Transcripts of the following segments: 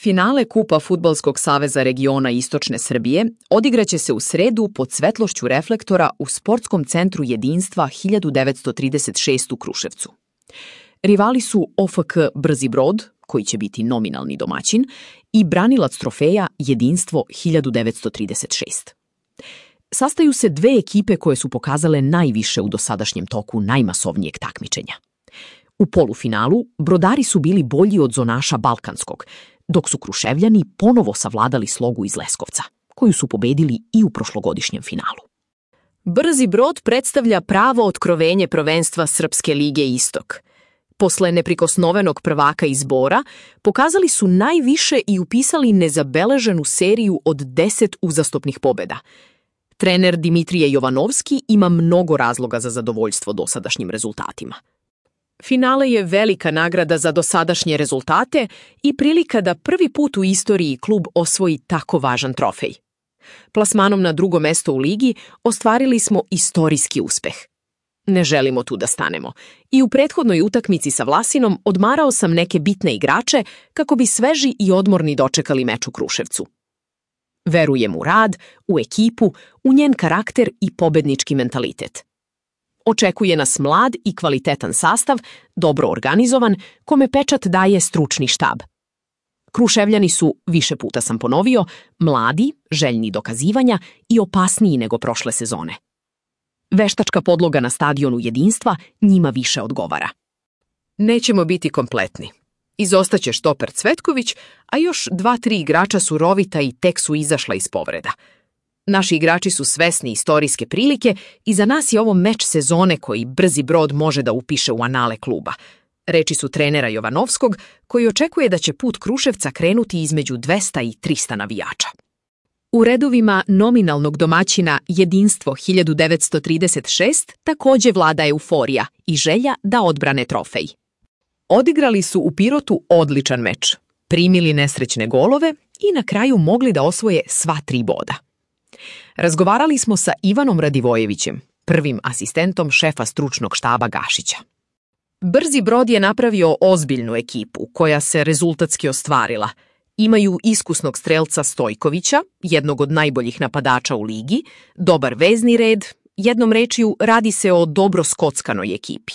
Finale Kupa Fudbalskog saveza regiona Istočne Srbije odigraće se u sredu pod svetlošću reflektora u Sportskom centru Jedinstva 1936 u Kruševcu. Rivali su OFK Brzi Brod, koji će biti nominalni domaćin, i branilac trofeja Jedinstvo 1936. Sastaju se dve ekipe koje su pokazale najviše u dosadašnjem toku najmasovnijeg takmičenja. U polufinalu brodari su bili bolji od zonaša Balkanskog, dok su Kruševljani ponovo savladali Slogu iz Leskovca, koju su pobedili i u prošlogodišnjem finalu. Brzi Brod predstavlja pravo otkrovenje prvenstva Srpske lige Istok. Posle neprikosnovenog prvaka iz Bora, pokazali su najviše i upisali nezabeleženu seriju od 10 uzastopnih pobeda. Trener Dimitrije Jovanovski ima mnogo razloga za zadovoljstvo dosadašnjim rezultatima. Finale je velika nagrada za dosadašnje rezultate i prilika da prvi put u istoriji klub osvoji tako važan trofej. Plasmanom na drugo mesto u ligi ostvarili smo istorijski uspeh. Ne želimo tu da stanemo. I u prethodnoj utakmici sa Vlasinom odmarao sam neke bitne igrače kako bi sveži i odmorni dočekali meč u Kruševcu. Verujem u rad, u ekipu, u njen karakter i pobednički mentalitet. Očekuje nas mlad i kvalitetan sastav, dobro organizovan, kome pečat daje stručni štab. Kruševljani su, više puta sam ponovio, mladi, željni dokazivanja i opasniji nego prošle sezone. Veštačka podloga na stadionu Jedinstva njima više odgovara. Nećemo biti kompletni. Izostaće štoper Cvetković, a još 2-3 igrača su rovita i tek su izašla iz povreda. Naši igrači su svesni istorijske prilike i za nas je ovo meč sezone koji Brzi Brod može da upiše u anale kluba. Reči su trenera Jovanovskog, koji očekuje da će put Kruševca krenuti između 200 i 300 navijača. U redovima nominalnog domaćina Jedinstvo 1936 takođe vlada euforija i želja da odbrane trofej. Odigrali su u Pirotu odličan meč, primili nesrećne golove i na kraju mogli da osvoje sva 3 boda. Razgovarali smo sa Ivanom Radivojevićem, prvim asistentom šefa stručnog štaba Gašića. Brzi Brod je napravio ozbiljnu ekipu koja se rezultatski ostvarila. Imaju iskusnog strelca Stojkovića, jednog od najboljih napadača u ligi, dobar vezni red, jednom rečju radi se o dobro skockanoj ekipi.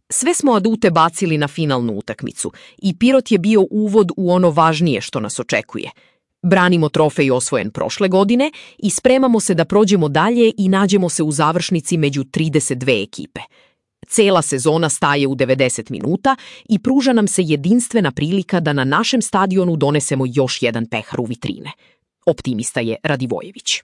Sve smo adute bacili na finalnu utakmicu i Pirot je bio uvod u ono važnije što nas očekuje. Branimo trofej osvojen prošle godine i spremamo se da prođemo dalje i nađemo se u završnici među 32 ekipe. Cela sezona staje u 90 minuta i pruža nam se jedinstvena prilika da na našem stadionu donesemo još jedan pehar u vitrine. Optimista je Radivojević.